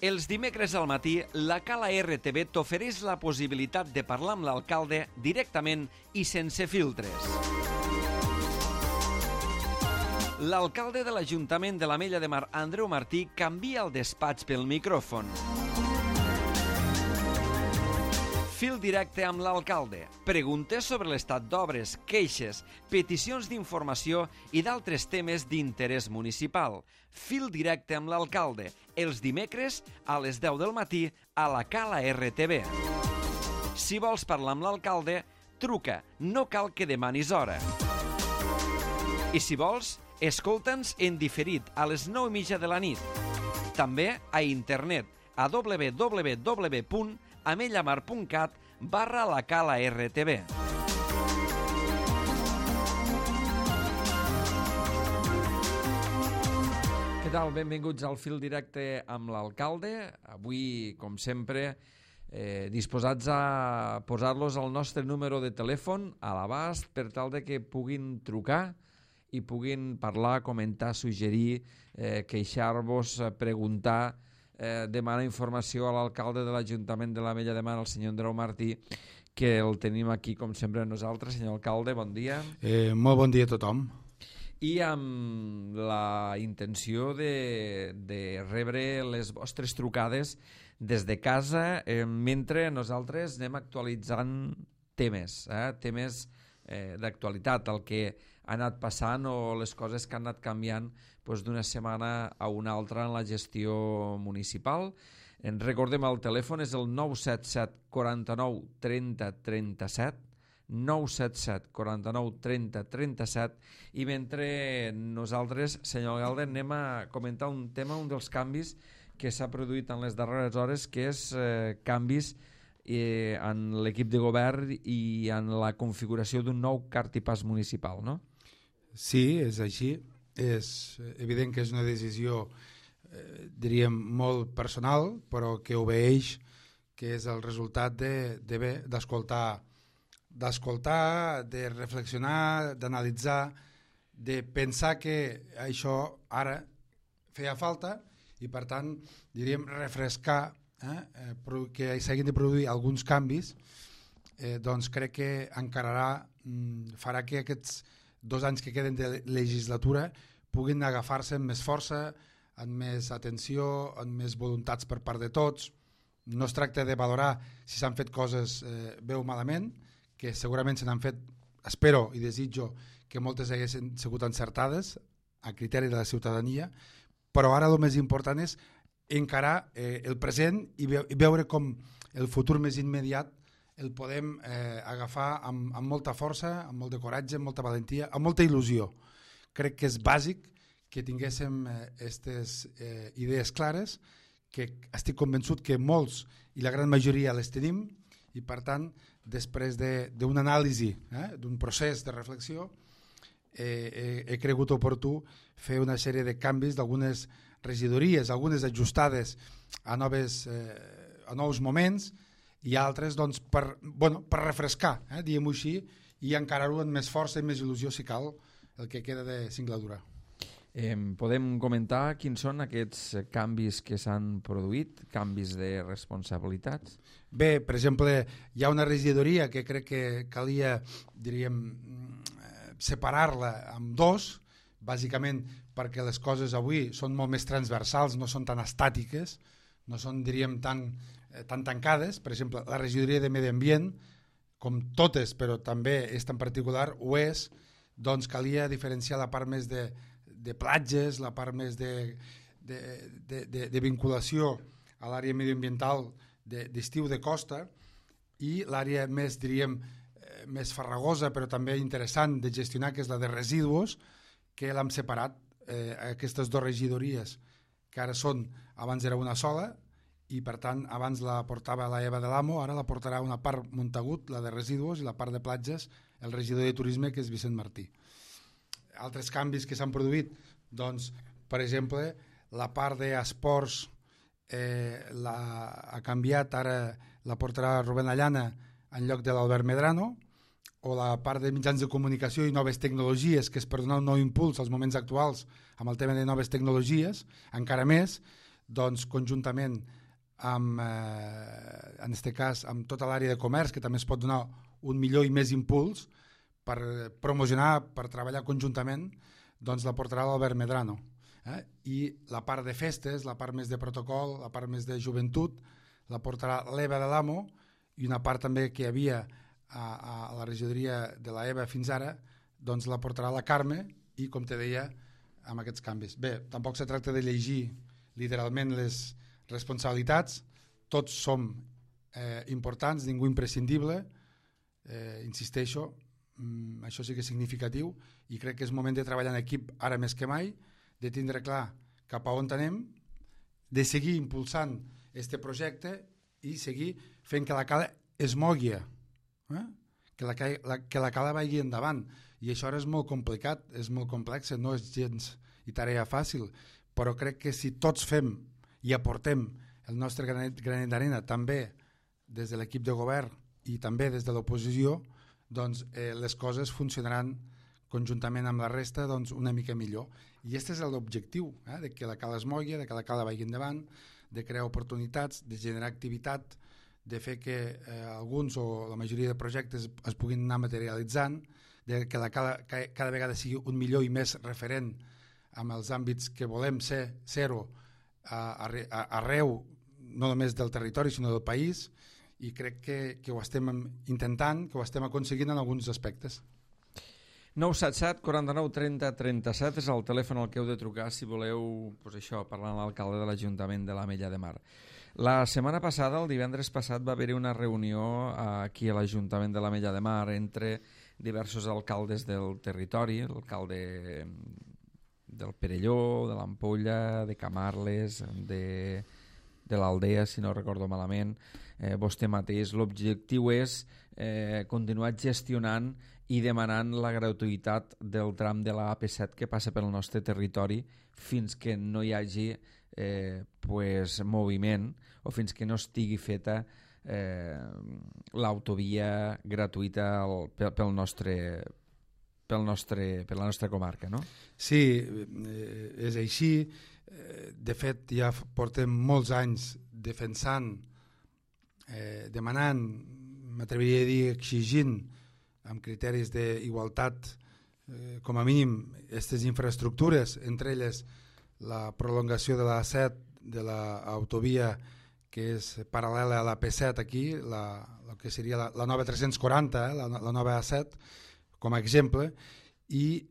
Els dimecres al matí, la Cala RTV t'ofereix la possibilitat de parlar amb l'alcalde directament i sense filtres. L'alcalde de l'Ajuntament de l'Ametlla de Mar, Andreu Martí, canvia el despatx pel micròfon. Fil directe amb l'alcalde. Preguntes sobre l'estat d'obres, queixes, peticions d'informació i d'altres temes d'interès municipal. Fil directe amb l'alcalde. Els dimecres a les 10 del matí a la Cala RTV. Si vols parlar amb l'alcalde, truca. No cal que demanis hora. I si vols, escolta'ns en diferit a les 9:30 de la nit. També a internet a www.amellamar.cat/la Cala RTV. Què tal? Benvinguts al Fil Directe amb l'alcalde. Avui, com sempre, disposats a posar-los el nostre número de telèfon a l'abast per tal de que puguin trucar i puguin parlar, comentar, suggerir, queixar-vos, preguntar, demanar informació a l'alcalde de l'Ajuntament de l'Ametlla de Mar, el senyor Andreu Martí, que el tenim aquí com sempre nosaltres. Senyor alcalde, bon dia. Molt bon dia a tothom. I amb la intenció de rebre les vostres trucades des de casa, mentre nosaltres anem actualitzant temes d'actualitat, el que ha anat passant o les coses que han anat canviant d'una setmana a una altra en la gestió municipal. En recordem, el telèfon és el 977 49 30 37, 977 49 30 37, i mentre nosaltres, senyor alcalde, anem a comentar un tema, un dels canvis que s'ha produït en les darreres hores, que és canvis en l'equip de govern i en la configuració d'un nou cartipàs municipal, no? Sí, és així. És evident que és una decisió, diríem, molt personal, però que obeeix, que és el resultat d'escoltar, de reflexionar, d'analitzar, de pensar que això ara feia falta i, per tant, diríem, refrescar, que s'hagin de produir alguns canvis, doncs crec que farà que aquests 2 anys que queden de legislatura puguin agafar-se amb més força, amb més atenció, amb més voluntats per part de tots. No es tracta de valorar si s'han fet coses bé o malament, que segurament se n'han fet, espero i desitjo que moltes haguessin sigut encertades a criteri de la ciutadania, però ara el més important és encarar el present i veure com el futur més immediat el podem agafar amb molta força, amb molt de coratge, amb molta valentia, amb molta il·lusió. Crec que és bàsic que tinguéssim aquestes idees clares, que estic convençut que molts i la gran majoria les tenim, i per tant, després d'una anàlisi, d'un procés de reflexió, he cregut oportú fer una sèrie de canvis d'algunes regidories, algunes ajustades a nous moments, i altres doncs, per refrescar, diguem-ho així, i encarar-ho amb més força i més il·lusió, si cal, el que queda de singladura. Podem comentar quins són aquests canvis que s'han produït, canvis de responsabilitats? Bé, per exemple, hi ha una regidoria que crec que calia, diríem, separar-la en 2, bàsicament perquè les coses avui són molt més transversals, no són tan estàtiques, no són, diríem, tan tancades. Per exemple, la regidoria de Medi Ambient, com totes, però també esta en particular, ho és, doncs calia diferenciar la part més de platges, la part més de vinculació a l'àrea medioambiental d'estiu de costa, i l'àrea més, diríem, més farragosa però també interessant de gestionar, que és la de residus, que l'hem separat, aquestes 2 regidories, que ara són, abans era una sola, i per tant abans la portava la Eva de l'Amo, ara la portarà una part Montagut, la de residus, i la part de platges el regidor de turisme, que és Vicent Martí. Altres canvis que s'han produït, doncs, per exemple, la part d'esports ha canviat, ara la portarà Rubén Allana en lloc de l'Albert Medrano, o la part de mitjans de comunicació i noves tecnologies, que és per donar un nou impuls als moments actuals amb el tema de noves tecnologies, encara més, doncs, conjuntament amb, en aquest cas, amb tota l'àrea de comerç, que també es pot donar un millor i més impuls per promocionar, per treballar conjuntament, doncs la portarà l'Albert Medrano. I la part de festes, la part més de protocol, la part més de joventut, la portarà l'Eva de l'Amo, i una part també que hi havia a la regidoria de la EVA fins ara, doncs la portarà la Carme, i com te deia, amb aquests canvis. Bé, tampoc se tracta de llegir literalment les responsabilitats, tots som importants, ningú imprescindible, insisteixo, això sí que és significatiu, i crec que és moment de treballar en equip ara més que mai, de tindre clar cap a on anem, de seguir impulsant aquest projecte i seguir fent que la cala es mogui, que la cala vagi endavant. I això ara és molt complicat, és molt complex, no és gens i tarea fàcil, però crec que si tots fem i aportem el nostre granet d'arena, també des de l'equip de govern i també des de l'oposició, doncs les coses funcionaran conjuntament amb la resta doncs, una mica millor. I aquest és l'objectiu, de que la cala es mogui, de que la cala vagi endavant, de crear oportunitats, de generar activitat, de fer que alguns o la majoria de projectes es puguin anar materialitzant, de que la cala cada vegada sigui un millor i més referent amb els àmbits que volem ser-ho arreu, no només del territori sinó del país, i crec que ho estem intentant, que ho estem aconseguint en alguns aspectes. 977 49 30 37 és el telèfon al que heu de trucar si voleu parlar amb l'alcalde de l'Ajuntament de l'Ametlla de Mar. La setmana passada, el divendres passat, va haver-hi una reunió aquí a l'Ajuntament de l'Ametlla de Mar entre diversos alcaldes del territori, l'alcalde del Perelló, de l'Ampolla, de Camarles, de l'Aldea, si no recordo malament, vostè mateix. L'objectiu és continuar gestionant i demanant la gratuïtat del tram de la AP7 que passa pel nostre territori fins que no hi hagi moviment o fins que no estigui feta l'autovia gratuïta per la nostra comarca, no? Sí, és així. De fet, ja portem molts anys defensant, demanant, m'atreviria a dir exigint, amb criteris d'igualtat, com a mínim, aquestes infraestructures, entre elles la prolongació de la A7, de l'autovia que és paral·lela a la P7 aquí, el que seria la nova 340, la nova A7, com a exemple, i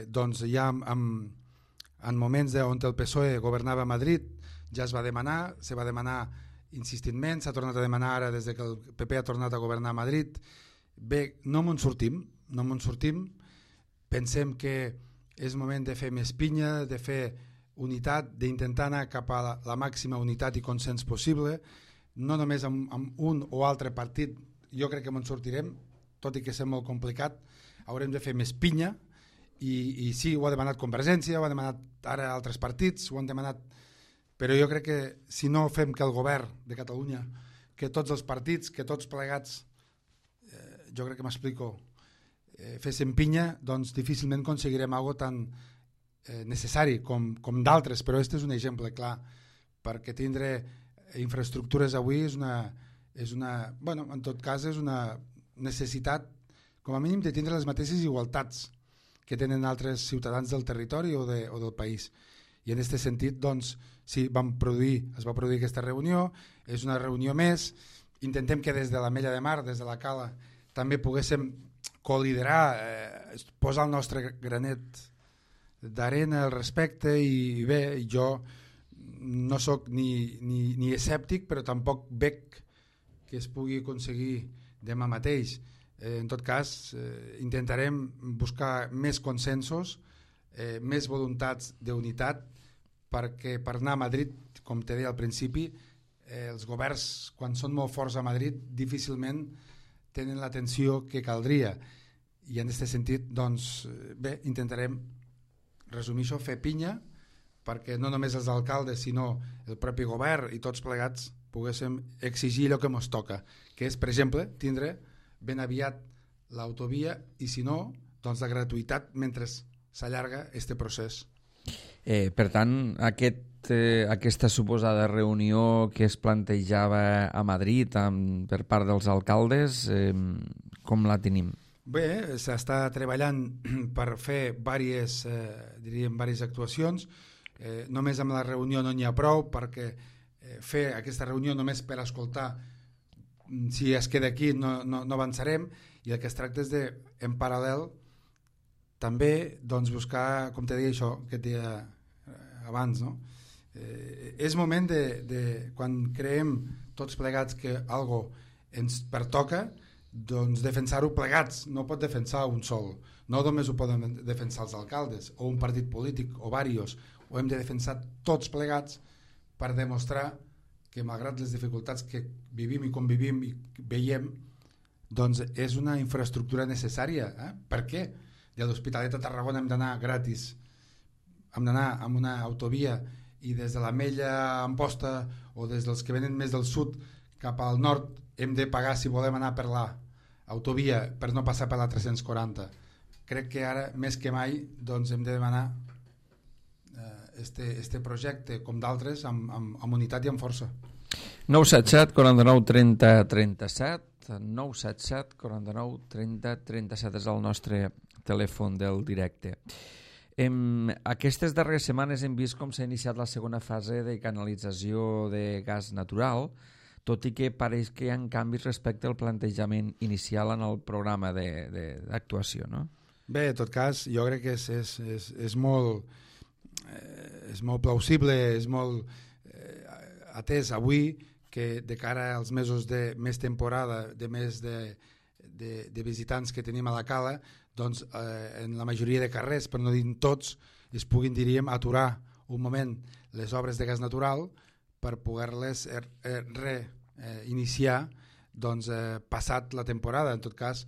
doncs ja en moments on el PSOE governava a Madrid ja se va demanar insistentment, s'ha tornat a demanar ara des que el PP ha tornat a governar a Madrid. Bé, no me'n sortim, pensem que és moment de fer més pinya, de fer unitat, d'intentar anar cap a la màxima unitat i consens possible, no només amb un o altre partit, jo crec que me'n sortirem, tot i que és molt complicat, haurem de fer més pinya, i sí, ho ha demanat Convergència, ho ha demanat ara altres partits, ho han demanat, però jo crec que si no fem que el govern de Catalunya, que tots els partits, que tots plegats, jo crec que m'explico, féssim pinya, doncs difícilment aconseguirem alguna tan necessari com d'altres, però aquest és un exemple clar, perquè tindre infraestructures avui és una, bueno, en tot cas és una necessitat, com a mínim, de tindre les mateixes igualtats que tenen altres ciutadans del territori o del país. I en aquest sentit, doncs, sí, es va produir aquesta reunió, és una reunió més, intentem que des de l'Ametlla de Mar, des de la Cala, també poguéssim col·liderar, posar el nostre granet d'arena al respecte, i bé, jo no sóc ni escèptic, però tampoc veig que es pugui aconseguir demà mateix. En tot cas, intentarem buscar més consensos, més voluntats d'unitat, perquè per anar a Madrid, com te deia al principi, els governs, quan són molt forts a Madrid, difícilment tenen l'atenció que caldria. I en aquest sentit, doncs, bé, intentarem resumir això, fer pinya, perquè no només els alcaldes, sinó el propi govern i tots plegats poguéssim exigir allò que ens toca, que és, per exemple, tindre ben aviat l'autovia i, si no, doncs la gratuïtat mentre s'allarga aquest procés. Per tant, aquesta suposada reunió que es plantejava a Madrid per part dels alcaldes, com la tenim? Bé, s'està treballant per fer diverses actuacions. Només amb la reunió no n'hi ha prou, perquè fer aquesta reunió només per escoltar si es queda aquí no avançarem, i el que es tracta és de, en paral·lel, també doncs, buscar, com te deia això que et deia abans, no? És moment de quan creem tots plegats que algo ens pertoca, doncs defensar-ho plegats. No pot defensar un sol, no només ho poden defensar els alcaldes o un partit polític o varios, ho hem de defensar tots plegats per demostrar que malgrat les dificultats que vivim i convivim i veiem, doncs és una infraestructura necessària. Per què? De l'Hospitalet a Tarragona hem d'anar gratis, hem d'anar amb una autovia, i des de l'Ametlla a Amposta o des dels que venen més del sud cap al nord hem de pagar si volem anar per l'autovia per no passar per la 340. Crec que ara més que mai doncs, hem de demanar este projecte com d'altres amb unitat i amb força. 977 49 30 37 977 49 30 37 és el nostre telèfon del directe. Aquestes darreres setmanes hem vist com s'ha iniciat la segona fase de canalització de gas natural, tot i que pareix que hi ha canvis respecte al plantejament inicial en el programa d'actuació, no? Bé, en tot cas, jo crec que és molt plausible, és molt atès avui que de cara als mesos de més temporada, de més de visitants que tenim a la cala, doncs en la majoria de carrers, per no dir tots, es puguin, diríem, aturar un moment les obres de gas natural per poder-les reiniciar doncs, passat la temporada. En tot cas,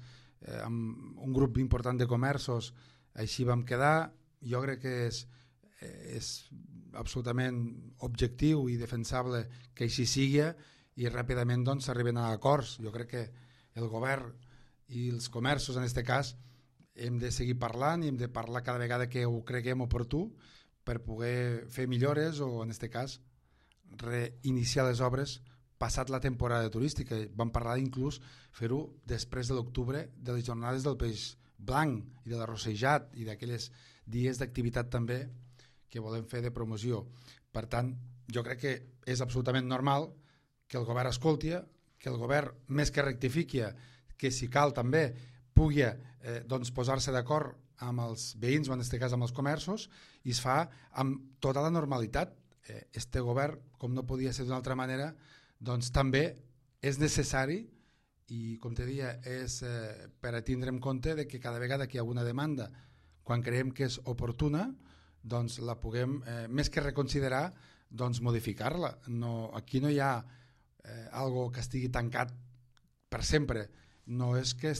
amb un grup important de comerços així vam quedar. Jo crec que és absolutament objectiu i defensable que així sigui i ràpidament doncs, s'arriben a acords. Jo crec que el govern i els comerços, en aquest cas, hem de seguir parlant i hem de parlar cada vegada que ho creguem oportú per poder fer millores o, en aquest cas, reiniciar les obres passat la temporada turística. Vam parlar inclús fer-ho després de l'octubre, de les jornades del peix blanc i de l'arrossejat i d'aquelles dies d'activitat també que volem fer de promoció. Per tant, jo crec que és absolutament normal que el govern escolti, que el govern, més que rectifiqui, que si cal també pugui doncs, posar-se d'acord amb els veïns o en aquest cas amb els comerços, i es fa amb tota la normalitat. Este govern, com no podia ser d'una altra manera, doncs també és necessari i, com te deia, és per a tindre en compte de que cada vegada que hi ha una demanda, quan creiem que és oportuna, doncs la puguem, més que reconsiderar, doncs modificar-la. No, aquí no hi ha algo que estigui tancat per sempre. No és que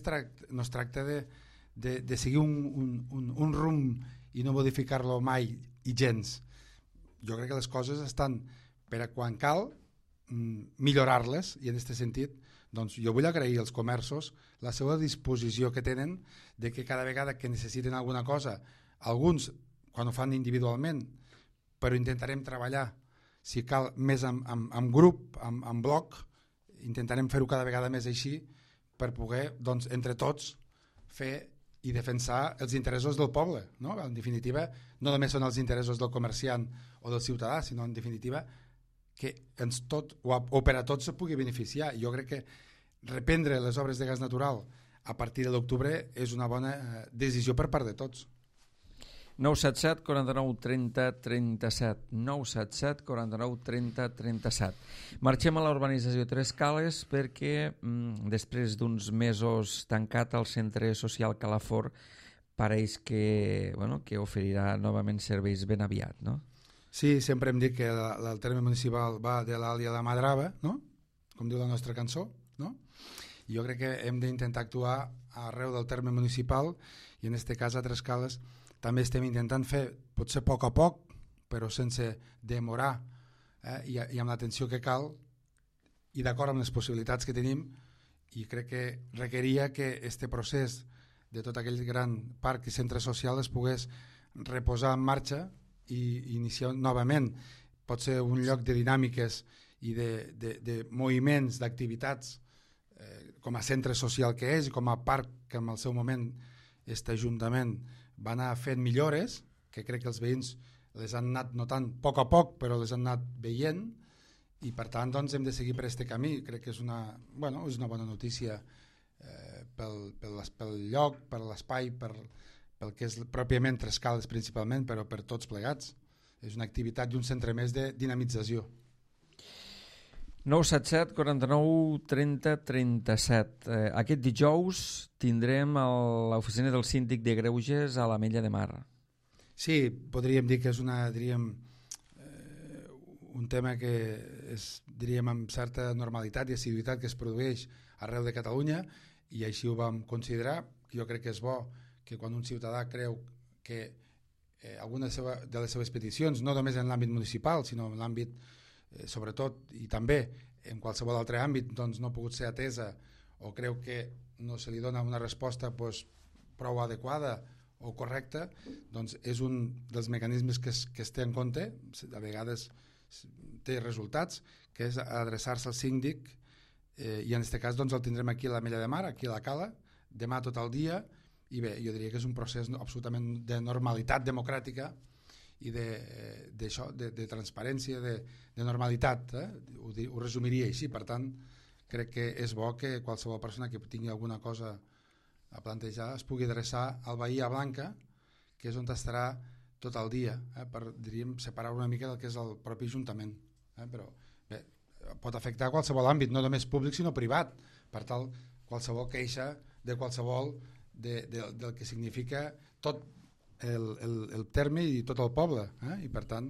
no es tracta de seguir un rumb i no modificar-lo mai i gens. Jo crec que les coses estan per a quan cal millorar-les, i en aquest sentit doncs jo vull agrair als comerços la seva disposició que tenen de que cada vegada que necessiten alguna cosa, alguns quan ho fan individualment, però intentarem treballar si cal més en grup, en bloc, intentarem fer-ho cada vegada més així per poder, doncs, entre tots fer i defensar els interessos del poble, no? En definitiva, no només són els interessos del comerciant o del ciutadà, sinó en definitiva que ens tot, o per a tots se pugui beneficiar. Jo crec que reprendre les obres de gas natural a partir de l'octubre és una bona decisió per part de tots. 977 49 30 37 977 49 30 37. Marxem a la urbanització Tres Cales perquè després d'uns mesos tancat el centre social Calafort pareix que, bueno, que oferirà novament serveis ben aviat, no? Sí, sempre hem dit que el terme municipal va de l'Àlia a la Madrava, no? Com diu la nostra cançó, no? Jo crec que hem d'intentar actuar arreu del terme municipal i en aquest cas a Tres Cales també estem intentant fer, potser a poc, però sense demorar i amb l'atenció que cal i d'acord amb les possibilitats que tenim, i crec que requeria que este procés de tot aquell gran parc i centre social es pogués reposar en marxa i iniciar novament. Pot ser un lloc de dinàmiques i de moviments, d'activitats, com a centre social que és i com a parc que en el seu moment aquest Ajuntament va anar fent millores, que crec que els veïns les han anat notant a poc, però les han anat veient, i per tant doncs, hem de seguir per aquest camí. Crec que és una bona notícia pel lloc, per l'espai, pel que és pròpiament Trescales principalment, però per tots plegats. És una activitat i un centre més de dinamització. 977 49 30 37. Aquest dijous tindrem l'oficina del síndic de Greuges a l'Ametlla de Mar. Sí, podríem dir que és un tema que és, diríem, amb certa normalitat i assiduïtat que es produeix arreu de Catalunya, i així ho vam considerar. Jo crec que és bo que quan un ciutadà creu que alguna de les seves peticions, no només en l'àmbit municipal, sinó en l'àmbit sobretot i també en qualsevol altre àmbit, doncs no ha pogut ser atesa, o creu que no se li dona una resposta prou adequada o correcta, doncs és un dels mecanismes que es té en compte, a vegades té resultats, que és adreçar-se al síndic, i en aquest cas doncs, el tindrem aquí a l'Ametlla de Mar, aquí a la Cala, demà tot el dia, i bé, jo diria que és un procés absolutament de normalitat democràtica i de transparència, de normalitat, ho resumiria així. Per tant, crec que és bo que qualsevol persona que tingui alguna cosa a plantejar es pugui adreçar al Bahia Blanca, que és on estarà tot el dia, per, diríem, separar una mica del que és el propi Ajuntament. Però bé, pot afectar qualsevol àmbit, no només públic sinó privat, per tal qualsevol queixa de qualsevol del que significa tot el terme i tot el poble, i per tant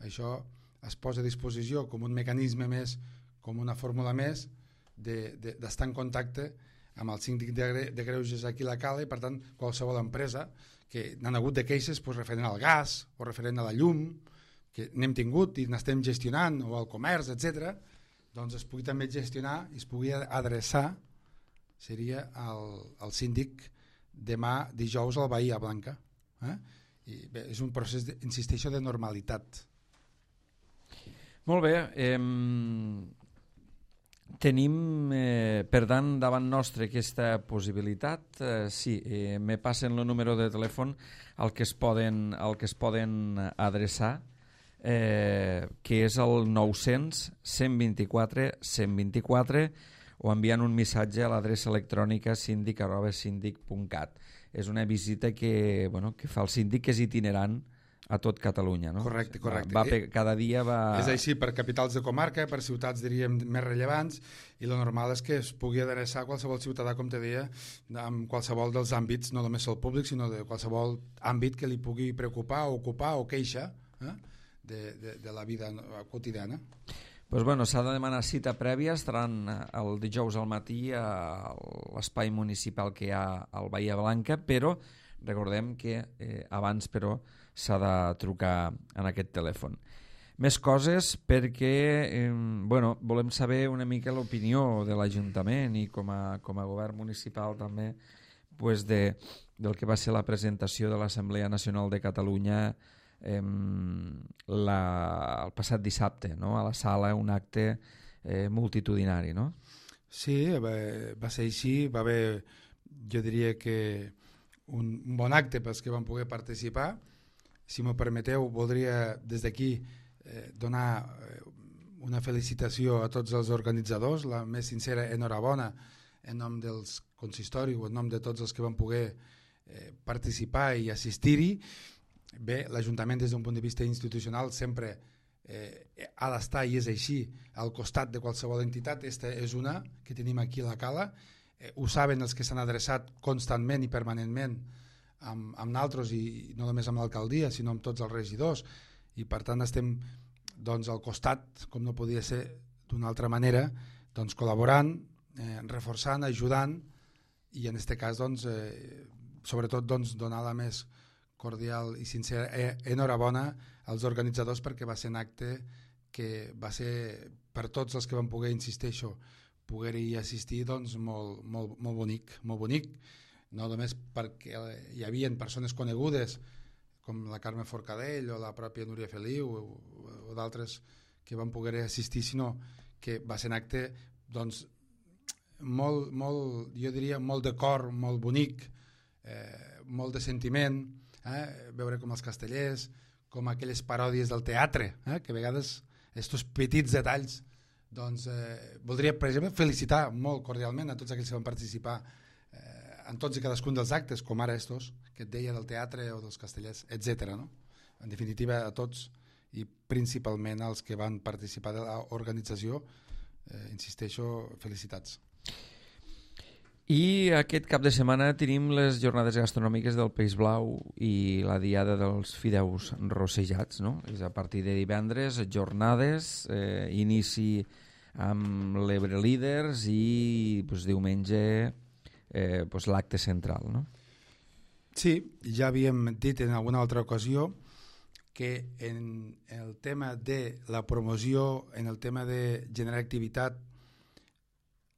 això es posa a disposició com un mecanisme més, com una fórmula més d'estar en contacte amb el síndic de Greuges aquí a la Cala, i per tant qualsevol empresa que n'han hagut de queixes referent al gas o referent a la llum, que n'hem tingut i n'estem gestionant, o al comerç, etc., doncs es pugui també gestionar i es pugui adreçar, seria el síndic demà dijous al Bahia Blanca. I bé, és un procés, insisteixo, de normalitat. Molt bé. Tenim, per tant, davant nostre aquesta possibilitat. Sí, me passen el número de telèfon al que es poden adreçar, que és el 900 124 124, o enviant un missatge a l'adreça electrònica síndic@síndic.cat. És una visita que fa el síndic, que és itinerant a tot Catalunya, no? Correcte. Cada dia va... És així per capitals de comarca, per ciutats, diríem, més rellevants, i lo normal és que es pugui adreçar a qualsevol ciutadà, com te deia, en qualsevol dels àmbits, no només el públic, sinó de qualsevol àmbit que li pugui preocupar, ocupar o queixa de la vida quotidiana. Pues s'ha de demanar cita prèvia. Estaran el dijous al matí a l'espai municipal que hi ha al Bahia Blanca, però recordem que abans s'ha de trucar en aquest telèfon. Més coses, perquè volem saber una mica l'opinió de l'Ajuntament i com a govern municipal també del que va ser la presentació de l'Assemblea Nacional de Catalunya el passat dissabte, no? A la sala, un acte multitudinari, no? Sí, va ser així. Va haver, jo diria que un bon acte pels que van poder participar. Si m'ho permeteu, voldria des d'aquí donar una felicitació a tots els organitzadors, la més sincera enhorabona en nom dels consistoris o en nom de tots els que van poder participar i assistir-hi. Bé, l'Ajuntament des d'un punt de vista institucional sempre ha d'estar, i és així, al costat de qualsevol entitat. Esta és una que tenim aquí a la Cala. Ho saben els que s'han adreçat constantment i permanentment amb nosaltres, i no només amb l'alcaldia sinó amb tots els regidors, i per tant estem al costat, com no podia ser d'una altra manera, col·laborant, reforçant, ajudant, i en aquest cas sobretot donar la més cordial i sincera enhorabona als organitzadors, perquè va ser un acte que va ser per tots els que van poder, insisteixo, poder-hi assistir, molt bonic, no només perquè hi havia persones conegudes com la Carme Forcadell o la pròpia Núria Feliu o d'altres que van poder assistir, sinó que va ser un acte doncs, molt, jo diria, molt de cor, molt bonic, molt de sentiment, veure com els castellers, com aquelles paròdies del teatre, que a vegades aquests petits detalls, doncs voldria, per exemple, felicitar molt cordialment a tots aquells que van participar en tots i cadascun dels actes, com ara estos, que et deia del teatre o dels castellers, etc. No? En definitiva, a tots i principalment als que van participar de l'organització, insisteixo, felicitats. I aquest cap de setmana tenim les jornades gastronòmiques del Peix Blau i la diada dels fideus rossejats, no? És a partir de divendres, jornades, inici amb l'Ebre Líders i pues, diumenge pues, l'acte central, no? Sí, ja havíem dit en alguna altra ocasió que en el tema de la promoció, en el tema de generar activitat,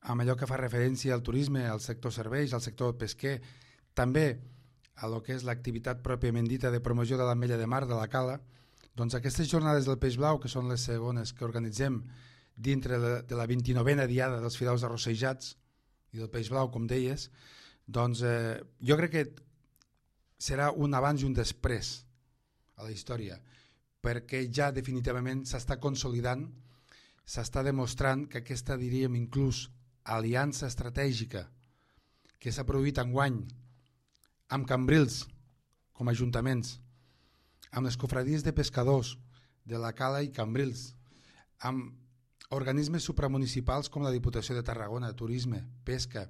amb allò que fa referència al turisme, al sector serveis, al sector pesquer, també a lo que és l'activitat pròpiament dita de promoció de l'ametlla de mar, de la cala, doncs aquestes jornades del Peix Blau, que són les segones que organitzem dintre de la 29a diada dels fideus arrossejats i del Peix Blau, com deies, doncs jo crec que serà un abans i un després a la història, perquè ja definitivament s'està consolidant, s'està demostrant que aquesta, diríem, inclús aliança estratègica que s'ha produït enguany amb Cambrils com a ajuntaments, amb les cofradies de pescadors de la Cala i Cambrils, amb organismes supramunicipals com la Diputació de Tarragona, Turisme, Pesca,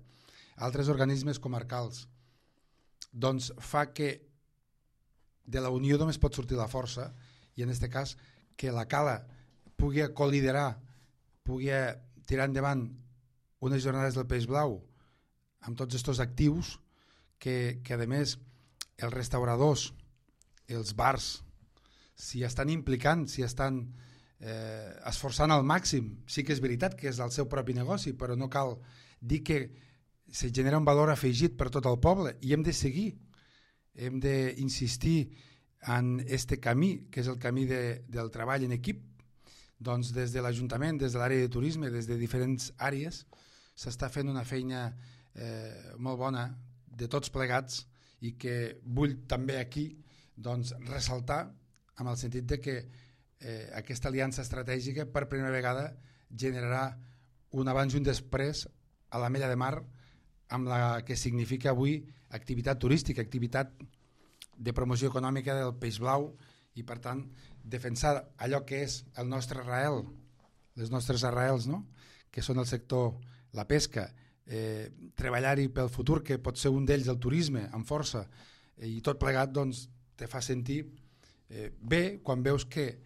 altres organismes comarcals, doncs fa que de la unió només pot sortir la força i en aquest cas que la Cala pugui coliderar, pugui tirar endavant unes jornades del Peix Blau amb tots aquests actius que a més els restauradors, els bars s'hi estan implicant, s'hi estan esforçant al màxim. Sí que és veritat que és el seu propi negoci, però no cal dir que se genera un valor afegit per tot el poble i hem de seguir, hem d'insistir en este camí, que és el camí del treball en equip. Doncs des de l'Ajuntament, des de l'àrea de turisme, des de diferents àrees, s'està fent una feina molt bona de tots plegats i que vull també aquí doncs, ressaltar amb el sentit de que aquesta aliança estratègica per primera vegada generarà un abans i un després a l'Ametlla de Mar amb la que significa avui activitat turística, activitat de promoció econòmica del Peix Blau i per tant defensar allò que és el nostre arrel, les nostres arrels, no? Que són el sector, la pesca, treballar-hi pel futur, que pot ser un d'ells el turisme, amb força, i tot plegat doncs, te fa sentir bé quan veus que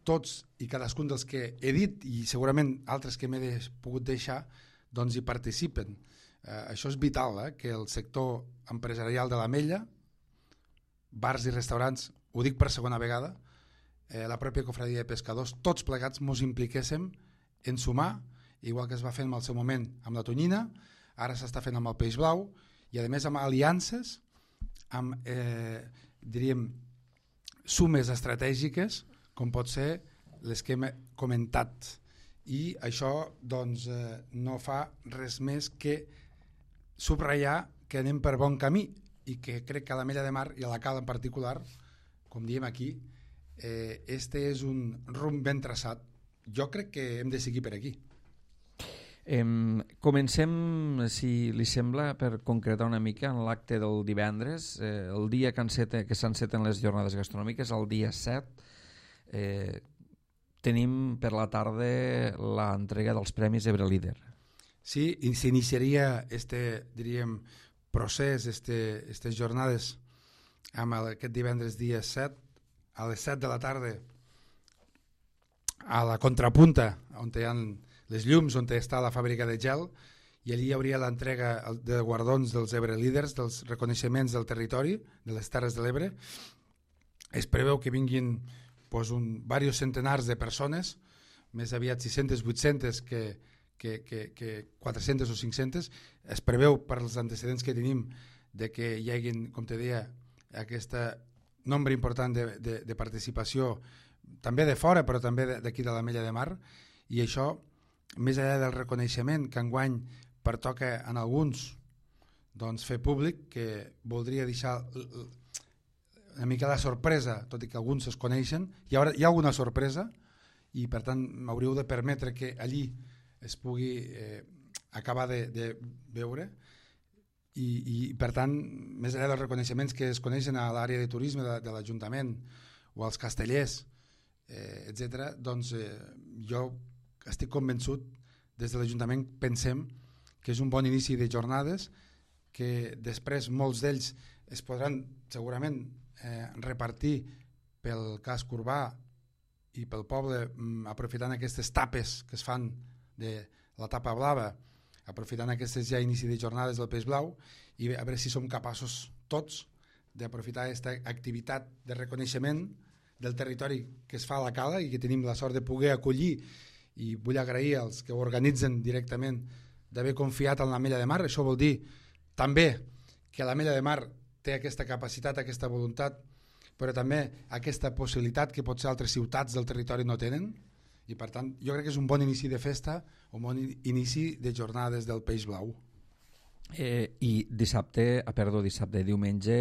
tots i cadascun dels que he dit i segurament altres que m'he pogut deixar doncs hi participen. Això és vital, que el sector empresarial de l'Ametlla, bars i restaurants, ho dic per segona vegada, la pròpia cofradia de pescadors, tots plegats mos impliquéssim en sumar, igual que es va fer en el seu moment amb la tonyina, ara s'està fent amb el Peix Blau i a més amb aliances, amb diríem sumes estratègiques com pot ser les que hem comentat i això doncs no fa res més que subratllar que anem per bon camí i que crec que a l'Ametlla de Mar i a la Cala en particular, com diem aquí, este és un rumb ben traçat. Jo crec que hem de seguir per aquí. Comencem, si li sembla, per concretar una mica en l'acte del divendres, el dia que s'enceten les jornades gastronòmiques, el dia 7, tenim per la tarda l'entrega dels Premis Ebre Líder. Sí, i s'iniciaria diríem, procés, aquestes jornades amb aquest divendres dia 7, a les 7 de la tarda, a la contrapunta, on hi ha les llums, on està la fàbrica de gel, i allí hi hauria l'entrega de guardons dels Ebre Líders, dels reconeixements del territori, de les Terres de l'Ebre. Es preveu que vinguin diversos centenars de persones, més aviat 600, 800 que 400 o 500. Es preveu per als antecedents que tenim de que hi hagi, com te deia, aquesta nombre important de participació, també de fora, però també d'aquí de l'Ametlla de Mar, i això, més enllà del reconeixement que enguany pertoca en alguns, doncs fer públic, que voldria deixar una mica la sorpresa, tot i que alguns es coneixen, hi ha alguna sorpresa, i per tant m'hauríeu de permetre que allí es pugui acabar de veure, i per tant, més enllà dels reconeixements que es coneixen a l'àrea de turisme de l'Ajuntament o als castellers, etc., doncs jo estic convençut, des de l'Ajuntament pensem que és un bon inici de jornades, que després molts d'ells es podran segurament repartir pel casc urbà i pel poble, aprofitant aquestes tapes que es fan de la tapa blava, aprofitant aquestes ja inici de jornades del Peix Blau, i a veure si som capaços tots d'aprofitar aquesta activitat de reconeixement del territori que es fa a la Cala i que tenim la sort de poder acollir, i vull agrair als que ho organitzen directament d'haver confiat en l'Ametlla de Mar. Això vol dir també que l'Ametlla de Mar té aquesta capacitat, aquesta voluntat, però també aquesta possibilitat que potser altres ciutats del territori no tenen, i per tant jo crec que és un bon inici de festa, un bon inici de jornades del Peix Blau. I diumenge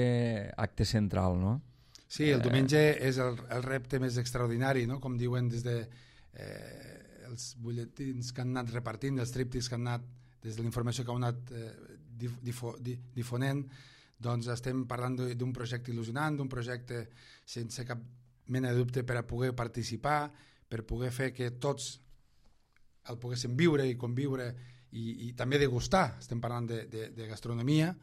acte central, no? Sí, el diumenge és el repte més extraordinari, no? Com diuen des de els butlletins que han anat repartint, els tríptics que han anat, des de la informació que han anat difonent, doncs estem parlant d'un projecte il·lusionant, d'un projecte sense cap mena de dubte per a poder participar, per poder fer que tots el poguéssim viure i conviure i també degustar. Estem parlant de gastronomia,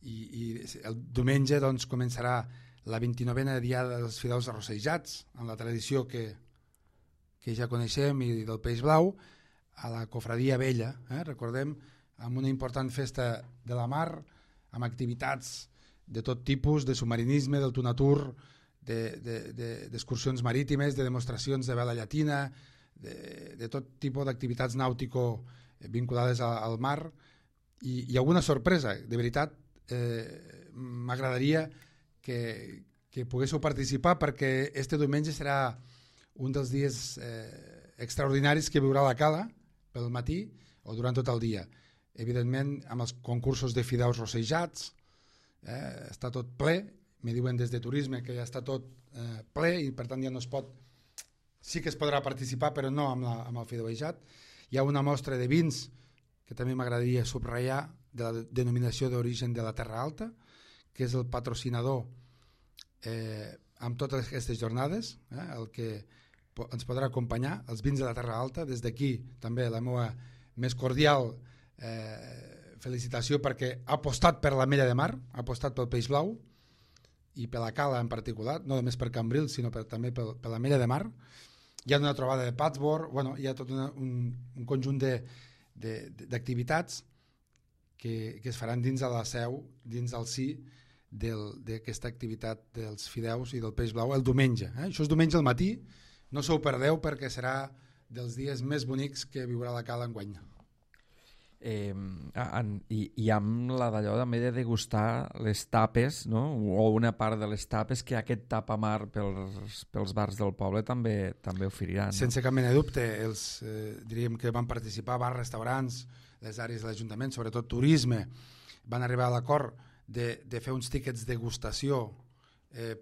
i el diumenge doncs començarà la 29a Diada dels Fideus Arrossejats, amb la tradició que ja coneixem i del Peix Blau, a la Cofradia Vella, recordem, amb una important festa de la mar, amb activitats de tot tipus, de submarinisme, del tunatur, d'excursions marítimes, de demostracions de vela llatina, de tot tipus d'activitats nàutico vinculades al mar, i alguna sorpresa. De veritat, m'agradaria que poguéssiu participar, perquè este diumenge serà un dels dies extraordinaris que viurà la Cala pel matí o durant tot el dia. Evidentment, amb els concursos de fideus rossejats, està tot ple. Me diuen des de turisme que ja està tot ple, i per tant ja no es pot, sí que es podrà participar, però no amb el fideuejat. Hi ha una mostra de vins que també m'agradaria subratllar, de la denominació d'origen de la Terra Alta, que és el patrocinador amb totes aquestes jornades, el que ens podrà acompanyar, els vins de la Terra Alta. Des d'aquí també la meva més cordial felicitació, perquè ha apostat per l'Ametlla de Mar, ha apostat pel Peix Blau i per la Cala en particular, no només per Cambrils sinó també per l'Ametlla de Mar. Hi ha una trobada de Patsborn, bueno, hi ha tot un conjunt d'activitats que es faran dins de la seu, dins del si d'aquesta activitat dels fideus i del Peix Blau el diumenge. Això és diumenge al matí, no se ho perdeu, perquè serà dels dies més bonics que viurà la Cala enguany. I amb la d'allò també de degustar les tapes, no? O una part de les tapes que aquest tapamar pels bars del poble també oferiran, no? Sense cap mena de dubte, diríem que van participar bars, restaurants, les àrees de l'Ajuntament, sobretot turisme, van arribar a l'acord de fer uns tíquets de degustació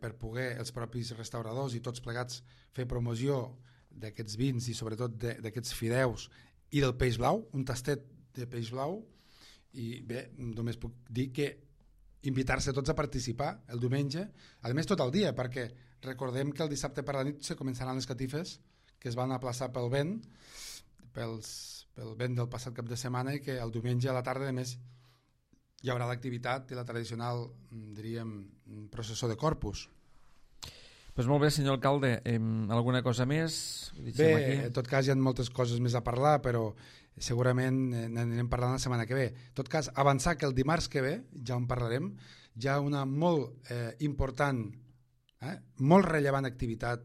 per poder els propis restauradors i tots plegats fer promoció d'aquests vins i sobretot d'aquests fideus i del Peix Blau, un tastet de Peix Blau. I bé, només puc dir que invitar-se tots a participar el diumenge, a més tot el dia, perquè recordem que el dissabte per la nit se començaran les catifes que es van aplaçar pel vent del passat cap de setmana, i que el diumenge a la tarda a més hi haurà l'activitat i la tradicional, diríem, processó de Corpus. Pues molt bé, senyor alcalde. Alguna cosa més? Bé, en tot cas hi ha moltes coses més a parlar, però segurament n'anirem parlant la setmana que ve. En tot cas, avançar que el dimarts que ve, ja en parlarem, hi ha una molt important, molt rellevant activitat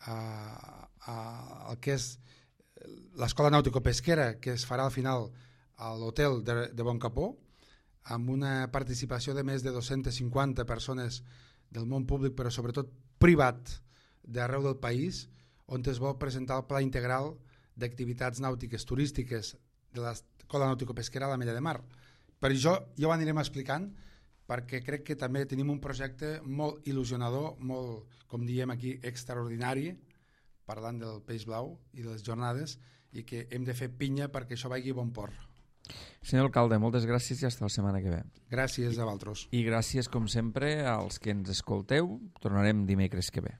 al que és l'Escola Nàutico-Pesquera, que es farà al final a l'hotel de Bon Capó, amb una participació de més de 250 persones del món públic, però sobretot privat, d'arreu del país, on es vol presentar el pla integral d'activitats nàutiques turístiques de l'Escola Nàutico-Pesquera a l'Ametlla de Mar. Per això ja ho anirem explicant, perquè crec que també tenim un projecte molt il·lusionador, molt, com diem aquí, extraordinari, parlant del peix blau i de les jornades, i que hem de fer pinya perquè això vagi a bon port. Senyor alcalde, moltes gràcies i fins la setmana que ve. Gràcies a vosaltres. I gràcies, com sempre, als que ens escolteu. Tornarem dimecres que ve.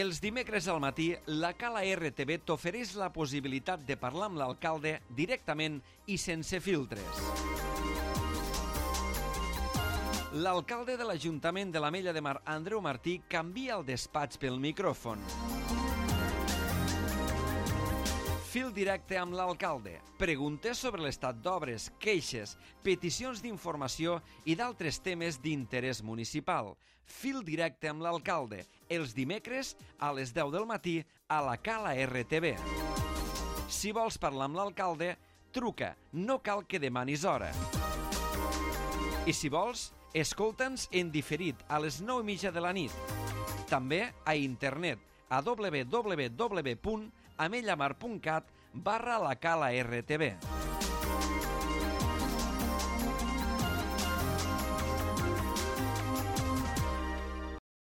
Els dimecres al matí, la Cala RTV t'ofereix la possibilitat de parlar amb l'alcalde directament i sense filtres. L'alcalde de l'Ajuntament de l'Ametlla de Mar, Andreu Martí, canvia el despatx pel micròfon. Fil directe amb l'alcalde. Preguntes sobre l'estat d'obres, queixes, peticions d'informació i d'altres temes d'interès municipal. Fil directe amb l'alcalde, els dimecres a les 10 del matí a la Cala RTV. Si vols parlar amb l'alcalde, truca, no cal que demanis hora. I si vols, escolta'ns en diferit a les 9:30 de la nit. També a internet a www.amellamar.cat/la Cala RTV.